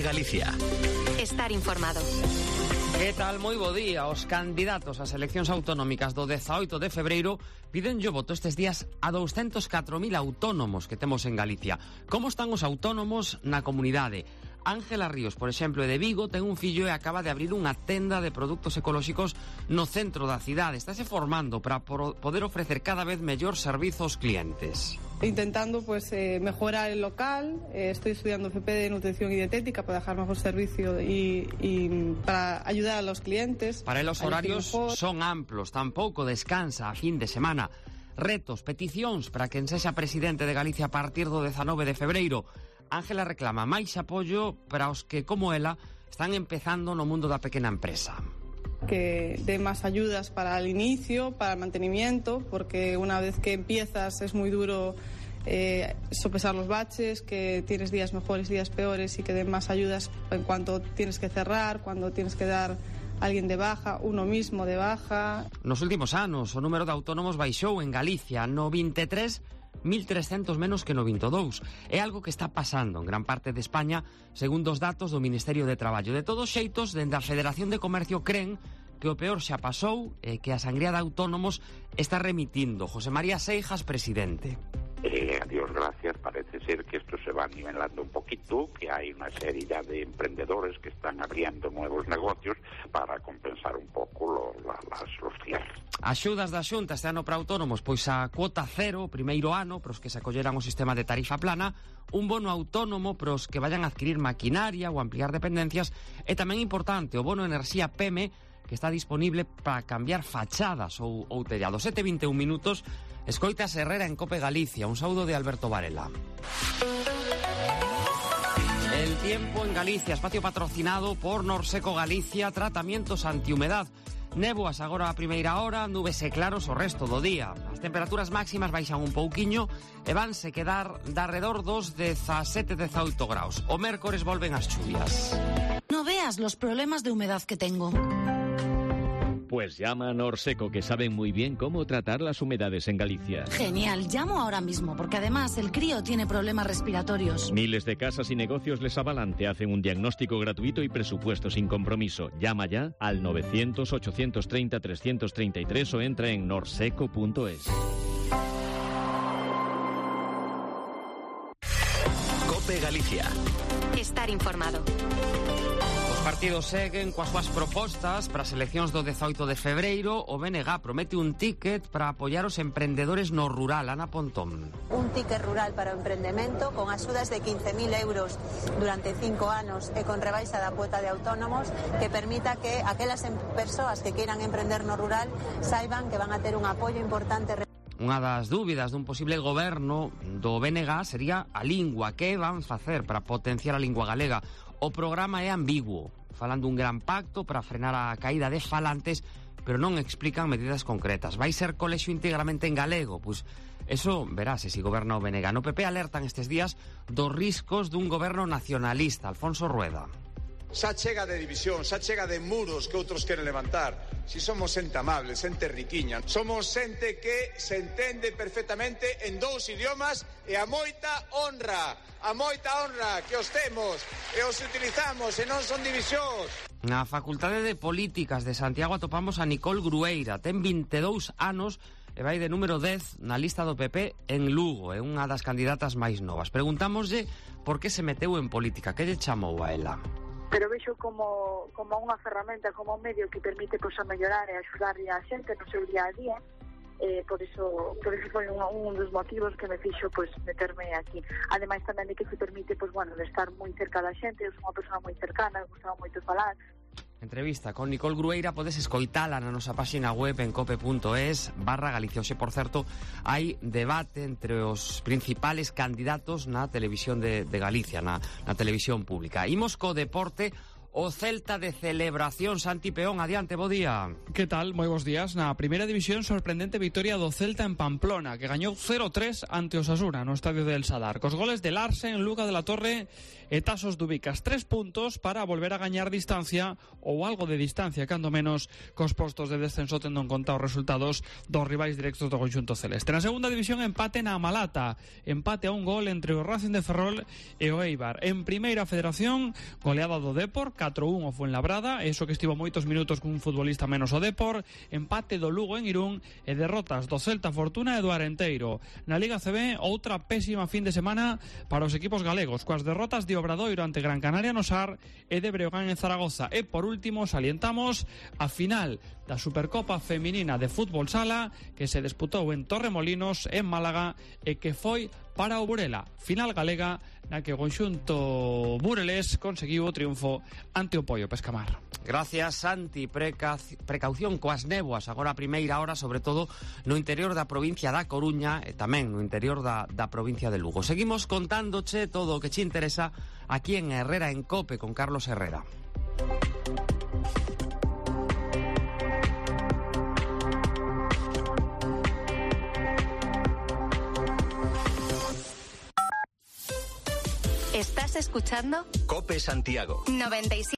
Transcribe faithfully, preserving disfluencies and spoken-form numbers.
COPE Galicia. Estar informado. Que tal? Moi bo día. Os candidatos ás eleccións autonómicas do dezaoito de febreiro piden o voto estes días a douscentos catro mil autónomos que temos en Galicia. Como están os autónomos na comunidade? Ángela Ríos, por exemplo, de Vigo, ten un fillo e acaba de abrir unha tenda de produtos ecolóxicos no centro da cidade. Estáse formando para poder ofrecer cada vez mellor servizo aos clientes. Intentando pues eh, mejorar el local, eh, estoy estudiando F P de nutrición y dietética para dejar mejor servicio y, y para ayudar a los clientes. Para los horarios son amplos, tampouco descansa a fin de semana. Retos, peticións para quen sexa presidente de Galicia a partir do dezanove de febreiro. Ángela reclama máis apoio para os que, como ela, están empezando no mundo da pequena empresa. Que dé más ayudas para el inicio, para el mantenimiento, porque una vez que empiezas es muy duro eh, sopesar los baches, que tienes días mejores, días peores, y que den más ayudas en cuanto tienes que cerrar, cuando tienes que dar a alguien de baja, uno mismo de baja. Nos últimos anos, o número de autónomos baixou en Galicia no vinte e tres mil trescentos menos que no vinte e dous. É algo que está pasando en gran parte de España, segundo os datos do Ministerio de Traballo. De todos xeitos, dende a Federación de Comercio cren que o peor xa pasou e que a sangría de autónomos está remitindo. José María Seijas, presidente. Eh, a Dios gracias, parece ser que esto se va nivelando un poquito, que hay una serie ya de emprendedores que están abriendo nuevos negocios para compensar un poco lo, la, las, los cierres. Axudas da Xunta este ano para autónomos, pois a cuota cero, primeiro ano, para os que se acolleran ao sistema de tarifa plana, un bono autónomo para os que vayan a adquirir maquinaria ou ampliar dependencias, e tamén importante o bono enerxía P M E, que está disponible para cambiar fachadas ou, ou tellados. sete e vinte e un minutos, escoitas Herrera en COPE Galicia. Un saúdo de Alberto Varela. El tiempo en Galicia, espacio patrocinado por Norseco Galicia, tratamientos antihumedad. Néboas agora a primeira hora, nubes e claros o resto do día. As temperaturas máximas baixan un pouquiño e vanse quedar de arredor dos dezasete a dezaoito graus. O mércores volven as chuvias. No veas los problemas de humedad que tengo. Pues llama a Norseco, que saben muy bien cómo tratar las humedades en Galicia. Genial, llamo ahora mismo, porque además el crío tiene problemas respiratorios. Miles de casas y negocios les avalan, te hacen un diagnóstico gratuito y presupuesto sin compromiso. Llama ya al novecientos, ochocientos treinta, trescientos treinta y tres o entra en norseco punto es. COPE Galicia. Estar informado. Os partidos seguen coas súas propostas para as eleccións do dezaoito de febreiro. O B N G promete un ticket para apoiar os emprendedores no rural. Ana Pontón. Un ticket rural para o emprendemento con axudas de quince mil euros durante cinco anos e con rebaixa da cuota de autónomos que permita que aquelas persoas que queiran emprender no rural saiban que van a ter un apoio importante. Unha das dúbidas dun posible goberno do B N G sería a lingua. Que van facer para potenciar a lingua galega? O programa é ambiguo, falando un gran pacto para frenar a caída de falantes, pero non explican medidas concretas. Vai ser colexio íntegramente en galego? Pois eso verase se goberna o B N G. No P P alertan estes días dos riscos dun goberno nacionalista. Alfonso Rueda. Xa chega de división, xa chega de muros que outros queren levantar. Si somos xente amable, xente riquiña, somos xente que se entende perfectamente en dous idiomas e a moita honra, a moita honra que os temos e os utilizamos e non son divisións. Na Facultade de Políticas de Santiago atopamos a Nicole Grueira, ten vinte e dous anos e vai de número dez na lista do P P en Lugo, é unha das candidatas máis novas. Preguntámoslle por que se meteu en política, que lle chamou a ela. Pero vexo como, como unha ferramenta, como un medio que permite pois, a mellorar e axudarlle a xente no seu día a día. Eh, por eso por eso foi un, un dos motivos que me fixo pois, meterme aquí. Ademais tamén de que se permite pois, bueno, de estar moi cerca da xente. Eu sou unha persona moi cercana, me gustaba moito falar. Entrevista con Nicole Grueira podes escoitala na nosa páxina web en cope punto es barra Galicia. Oxe, por certo, hai debate entre os principales candidatos na televisión de, de Galicia, na, na televisión pública. Imos co deporte. o Celta de celebración. Santi Peón, adiante, bo día. Que tal? Moi bons días. Na primeira división, sorprendente victoria do Celta en Pamplona, que gañou cero tres ante Osasuna no estadio del Sadar. Cos goles de Larsen, Luca de la Torre e Tasos Dubicas. Tres puntos para volver a gañar distancia, ou algo de distancia, cando menos, cos postos de descenso, tendo en conta os resultados dos rivais directos do conxunto celeste. Na segunda división, empate na Malata. Empate a un gol entre o Racing de Ferrol e o Eibar. En primeira federación, goleada do Depor, catro un o Fuenlabrada, eso que estivo moitos minutos cun futbolista menos o Depor, empate do Lugo en Irún e derrotas do Celta Fortuna e do Arenteiro. Na Liga C B, outra pésima fin de semana para os equipos galegos, coas derrotas de Obradoiro ante Gran Canaria no Sar e de Breogán en Zaragoza. E por último, salientamos a final da Supercopa Feminina de Fútbol Sala que se disputou en Torremolinos, en Málaga, e que foi para o Burela. Final galega na que o conxunto burelés conseguiu o triunfo ante o Poio Pescamar. Gracias, Santi. Preca... Precaución coas néboas agora a primeira hora, sobre todo no interior da provincia da Coruña e tamén no interior da, da provincia de Lugo. Seguimos contándoche todo o que che interesa aquí en Herrera en Cope con Carlos Herrera. ¿Estás escuchando? Cope Santiago. noventa y siete.